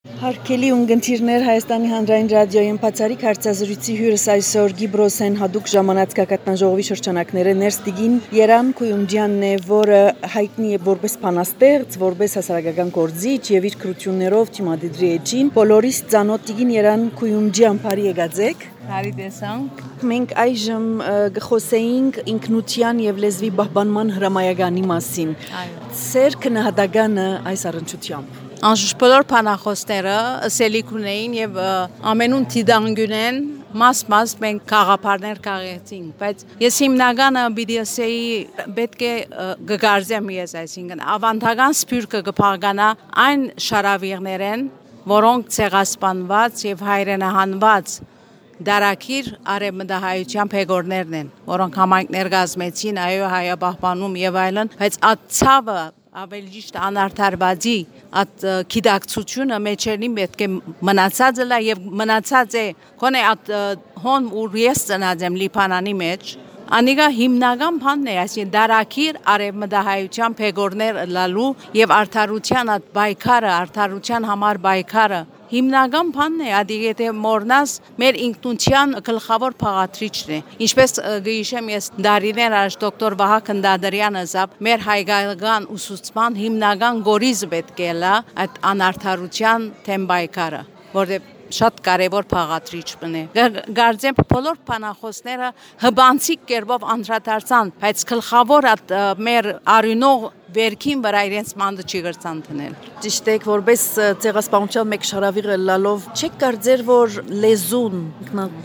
Հարգելի ունգընտիրներ Հայաստանի հանրային ռադիոյի բացառիկ հարցազրույցի հյուրս այսօր Գիբրոսեն հadoop ժամանած կակատնաժողովի շրջանակները ներստիգին Երան Քույումջյանն է, որը հայտնի է որպես փանաստեղծ, որպես հասարակական գործիչ եւ իր քրություններով թիմադիդրի էջին բոլորիս ծանոթ տիգին Երան Քույումջյան բարի եկածեք։ Բարի տեսանք։ Մենք այժմ գխոսեինք ինքնության եւ լեզվի պահպանման հրամայականի մասին։ Սեր քննադատանը այս առընչությամբ Անշուշտ բոլոր փանախոսները ըսելիք ունեին եւ ամենուն դիդանգյունեն մաս մենք խաղապարներ կաղեցինք, բայց ես հիմնականը պիտի ասեի պետք է գգարձեմ ես, այսինքն ավանդական սփյուռքը կփաղկանա այն շարավիղներեն, որոնք ցեղասպանված եւ հայրենահանված դարակիր արևմտահայության փեգորներն են, որոնք համայնքներ գազմեցին, այո, հայապահպանում եւ այլն, բայց ածավը ավելի ճիշտ անարդարվածի at գիտակցությունը մեջերին պետք է մնացած է եւ մնացած է քոնե at հոն ու ես ծնած եմ Լիբանանի մեջ անիգա հիմնական բանն է այսին դարակիր արևմտահայության փեգորներ լալու եւ արդարության at բայկարը արդարության համար բայկարը հիմնական բանն է ադիգեթե մորնաս մեր ինքնության գլխավոր փաղատրիչն է ինչպես գիշեմ ես դարիներ առաջ դոկտոր Վահագն Քնդադրյանը ասավ մեր հայկական ուսուցման հիմնական գորիզը պետք է լա այդ անարդարության թեմ բայկարը որտեղ շատ կարևոր փաղատրիչ բնե գարձեմ բոլոր փանախոսները հբանցիկ կերպով անդրադարձան բայց գլխավոր այդ մեր արյունող վերքին վրա իրենց մանդը չի գրցան տնել ճիշտ է որպես ցեղասպանության մեկ շարավիղը լալով չեք կարծեր որ լեզուն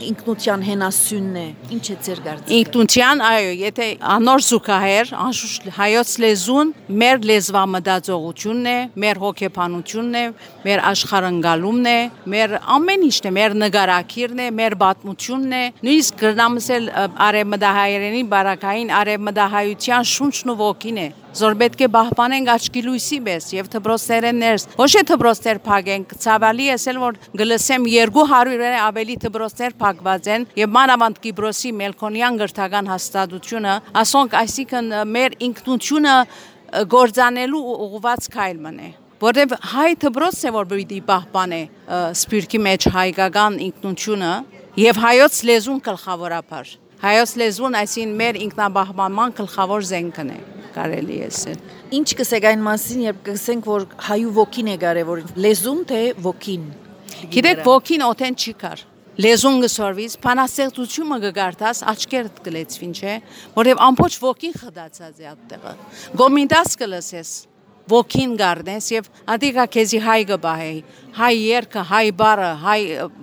ինքնության հենասյունն է ինչ է ձեր կարծիքը ինքնության այո եթե անոր զուգահեռ անշուշտ հայոց լեզուն մեր լեզվամտածողությունն է մեր հոգեբանությունն է մեր աշխարհընկալումն է մեր ամեն ինչն է մեր նկարակիրն է մեր պատմությունն է նույնիսկ գրնամսել արևմտահայերենի բարակային արևմտահայության շունչն ու ոգին է Զոր պետք է պահպանենք աչքի լույսի պես եւ դպրոցներեն ներս ոչ թե դպրոցներ փակենք ցավալի էսել որ գլսեմ 200-ը ավելի դպրոցներ փակված են եւ մանավանդ Կիպրոսի Մելքոնյան գրթական հաստատությունը ասոնք այսինքն մեր ինքնությունը գործանելու ուղղված քայլն է որտեւ հայ դպրոցն է որ պիտի պահպանե սփյուռքի մեջ հայկական ինքնությունը եւ հայոց լեզուն գլխավորապես հայոց լեզուն այսին մեր ինքնաբահմանման գլխավոր զենքն է կարելի է ասել Ինչ կսեք այն մասին երբ կսենք որ հայու ոգին է կարևոր լեզուն թե ոգին Գիտեք ոգին օթեն չի կար լեզուն գսորվից փանաստեղծությունը կգարտաս աչքերդ կլեցվին չէ որովհետև ամբողջ ոգին խդացած է այդտեղը գոմինդաս կլսես ոգին գարնես եւ ադիգա քեզի հայ գբահեի հայ երգը հայ բառը հայ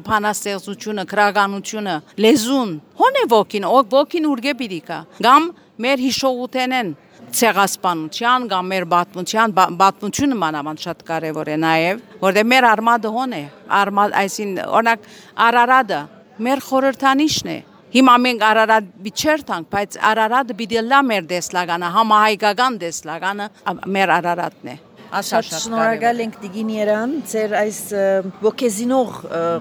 փանաստեղծությունը քրագանությունը լեզուն հոն է ոգին ուրգե պիտիկա գամ մեր հիշողութենեն ցեղասպանության կամ մեր պատմությունը մանավանդ շատ կարևոր է նաև որտեղ մեր արմատը հոն է արմատ այսին օրինակ Արարատը մեր խորհրդանիշն է հիմա մենք Արարատ biçertank բայց Արարատը պիտի լա մեր դեսլագանը համահայկական դեսլագանը մեր Արարատն է Շատ շնորհակալ ենք Տիգին Երան ձեր այս ոգեզինող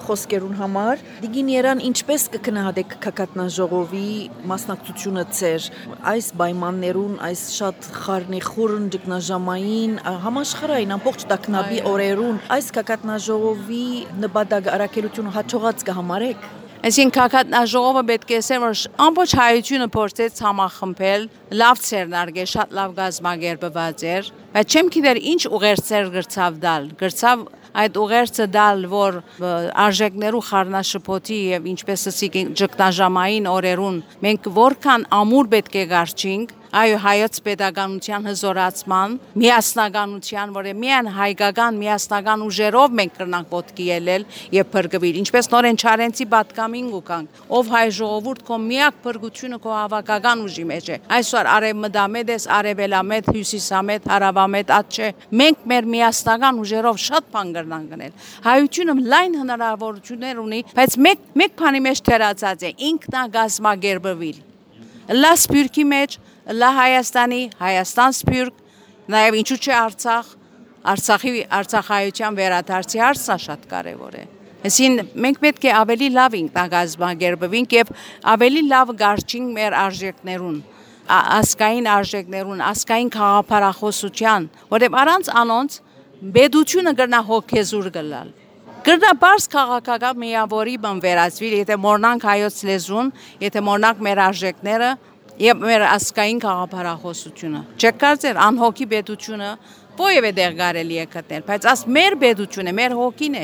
խոսքերուն համար Տիգին Երան ինչպես կքննադեք կակատնաժողովի մասնակցությունը ձեր այս պայմաններուն այս շատ խառնիխուռն ճգնաժամային համաշխարհային ամբողջ տակնաբի օրերուն այս կակատնաժողովի նպատակ առաքելությունը հաջողած կհամարեք Այսինքն կակատնաժողովը պետք է ասել որ ամբողջ հայությունը փորձեց համախմբել լավ ցերնարգե շատ լավ գազմագերբված էր բայց չեմ գիտեր ինչ ուղերձեր գրծավ այդ ուղերձը դալ որ արժեքներու խառնաշփոթի եւ ինչպես ասիկ ճգնաժամային օրերուն մենք որքան ամուր պետք է գարչինք այո հայոց pedagogical հզորացման միասնականության որը միայն հայկական միասնական ուժերով մենք կրնանք ոտքի ելել եւ փրկվել ինչպես նորեն Չարենցի պատկամին գուկանք ով հայ ժողովուրդ կո միակ փրկությունը կո հավաքական ուժի մեջ է այսօր արևմտամետ էս արևելամետ հյուսիսամետ հարավամետ ատ չէ մենք մեր միասնական ուժերով շատ բան կրնանք գնել հայությունը լայն հնարավորություններ ունի բայց մեկ բանի մեջ թերացած է ինքնագազմագերբվել լա սփյուռքի մեջ լա Հայաստանի Հայաստան սփյուռք նաև ինչու՞ չէ Արցախայության վերադարձի հարցը շատ կարևոր է Այսին մենք պետք է ավելի լավ ինքնագազմագերբվենք եւ ավելի լավ գարչինք մեր արժեքներուն ասկային արժեքներուն ասկային քաղաքապարախոսության որտեղ առանց անոնց բեդությունը կրնա հոգեզուր գլալ Գրնաբարս քաղաքական միավորի բան վերածվի, եթե մորնանք հայոց լեզուն, եթե մորնանք մեր արժեքները եւ մեր ասկային քաղաքապարախոսությունը։ Չեք կարծեր անհոգի պետությունը ովևէ դեր կարելի է գտնել, բայց աս մեր պետությունը, մեր հոգին է։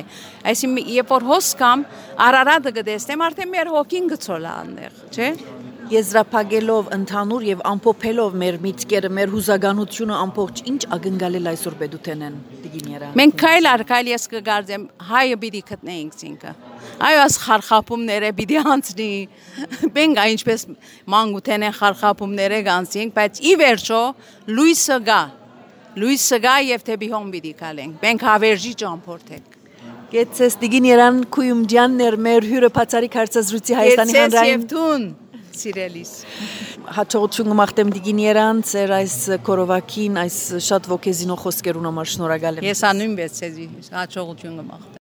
Այսինքն երբ որ հոս կամ Արարատը գտեսնեմ, արդեն մեր հոգին գցոլա այնտեղ, չէ՞։ Եզրափակելով ընդհանուր եւ ամփոփելով մեր միտքերը, մեր հուզականությունը ամբողջ ինչ ակնկալել այսօր պետութենեն դիգիները։ Մենք քայլ առ քայլ ես կգարձեմ հայը պիտի գտնեինք ինքը։ Այո, աս խարխապումները պիտի անցնի։ Մենք այնպես մանկութեն են խարխապումները կանցինք, բայց ի վերջո լույսը գա եւ թեպի հոմ պիտի գալենք։ Մենք հավերժի ճամփորդենք։ Գեցես դիգիներան Քույումջյաններ մեր հյուրը բացարիք հարցազրույցի Հայաստանի հանրային Սիրելիս հաջողություն կմաղթեմ դիգիներան ծեր այս կորովակին այս շատ ոգեզինող խոսքերուն համար շնորհակալ եմ։ Ես անուն բեցեզի հաջողություն կմաղթեմ